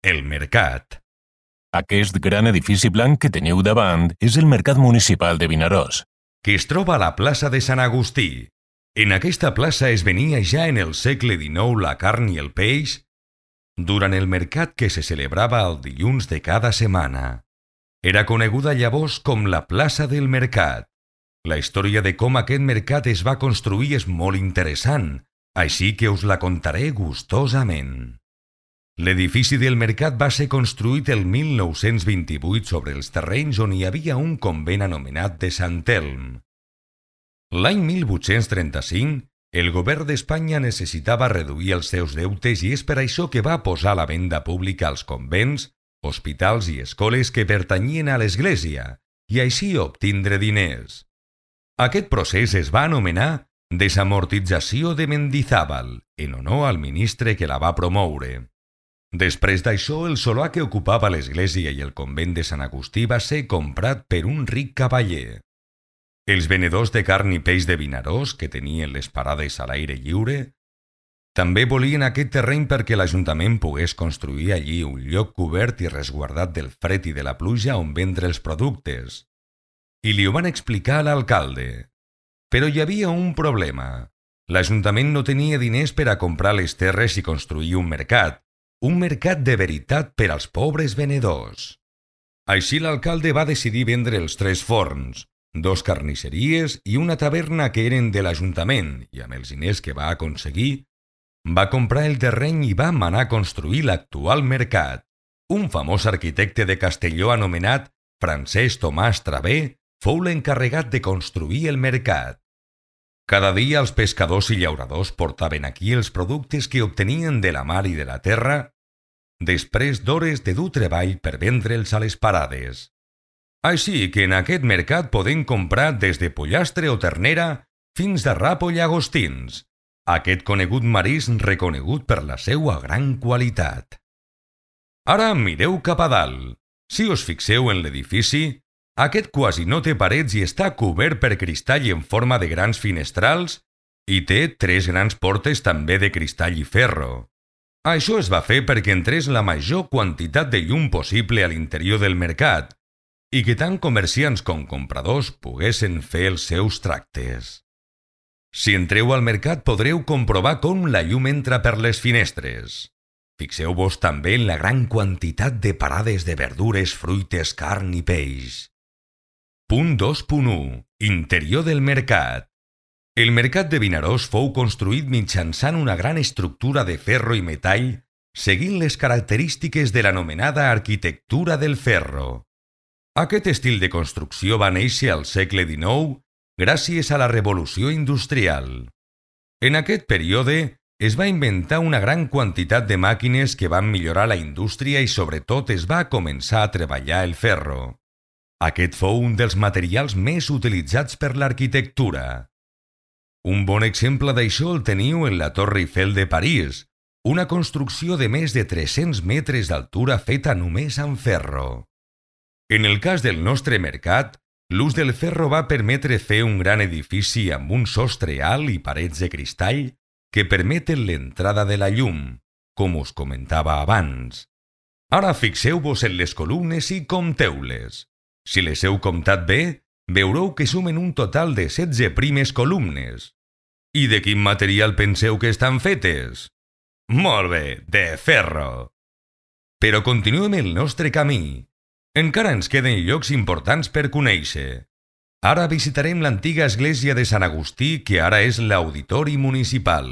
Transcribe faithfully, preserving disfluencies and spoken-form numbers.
el mercat. Aquest gran edifici blanc que teniu davant és el Mercat Municipal de Vinaròs, que es troba a la plaça de Sant Agustí. En aquesta plaça es venia ja en el segle dinou la carn i el peix durant el mercat que se celebrava el dilluns de cada setmana. Era coneguda llavors com la plaça del mercat. La història de com aquest mercat es va construir és molt interessant, així que us la contaré gustosament. L'edifici del mercat va ser construït el mil nou-cents vint-i-vuit sobre els terrenys on hi havia un convent anomenat de Sant Elm. L'any mil vuit-cents trenta-cinc, el govern d'Espanya necessitava reduir els seus deutes i és per això que va posar a la venda pública els convents, hospitals i escoles que pertanyien a l'Església i així obtindre diners. Aquest procés es va anomenar desamortització de Mendizábal, en honor al ministre que la va promoure. Després d'això, el solar que ocupava l'església i el convent de Sant Agustí va ser comprat per un ric cavaller. Els venedors de carn i peix de Vinaròs, que tenien les parades a l'aire lliure, també volien aquest terreny perquè l'Ajuntament pogués construir allí un lloc cobert i resguardat del fred i de la pluja on vendre els productes. I li ho van explicar a l'alcalde. Però hi havia un problema. L'Ajuntament no tenia diners per a comprar les terres i construir un mercat, un mercat de veritat per als pobres venedors. Així l'alcalde va decidir vendre els tres forns, dos carnisseries i una taverna que eren de l'Ajuntament i amb els diners que va aconseguir, va comprar el terreny i va manar a construir l'actual mercat. Un famós arquitecte de Castelló anomenat Francesc Tomàs Travé fou l'encarregat de construir el mercat. Cada dia els pescadors i llauradors portaven aquí els productes que obtenien de la mar i de la terra, després d'hores de dur treball per vendre'ls a les parades. Així que en aquest mercat podem comprar des de pollastre o ternera fins a rap o llagostins, aquest conegut marisc reconegut per la seua gran qualitat. Ara mireu cap a dalt. Si us fixeu en l'edifici, aquest quasi no té parets i està cobert per cristall en forma de grans finestrals i té tres grans portes també de cristall i ferro. Això es va fer perquè entrés la major quantitat de llum possible a l'interior del mercat i que tant comerciants com compradors poguessin fer els seus tractes. Si entreu al mercat podreu comprovar com la llum entra per les finestres. Fixeu-vos també en la gran quantitat de parades de verdures, fruites, carn i peix. Punt dos punt u. Interior del mercat. El mercat de Vinaròs fou construït mitjançant una gran estructura de ferro i metall, seguint les característiques de l'anomenada arquitectura del ferro. Aquest estil de construcció va néixer al segle dinou gràcies a la revolució industrial. En aquest període es va inventar una gran quantitat de màquines que van millorar la indústria i sobretot es va començar a treballar el ferro. Aquest fou un dels materials més utilitzats per l'arquitectura. Un bon exemple d'això el teniu en la Torre Eiffel de París, una construcció de més de tres-cents metres d'altura feta només amb ferro. En el cas del nostre mercat, l'ús del ferro va permetre fer un gran edifici amb un sostre alt i parets de cristall que permeten l'entrada de la llum, com us comentava abans. Ara fixeu-vos en les columnes i compteu-les. Si les heu comptat bé, veureu que sumen un total de setze primes columnes. I de quin material penseu que estan fetes? Molt bé, de ferro. Però continuem el nostre camí. Encara ens queden llocs importants per conèixer. Ara visitarem l'antiga església de Sant Agustí, que ara és l'Auditori Municipal.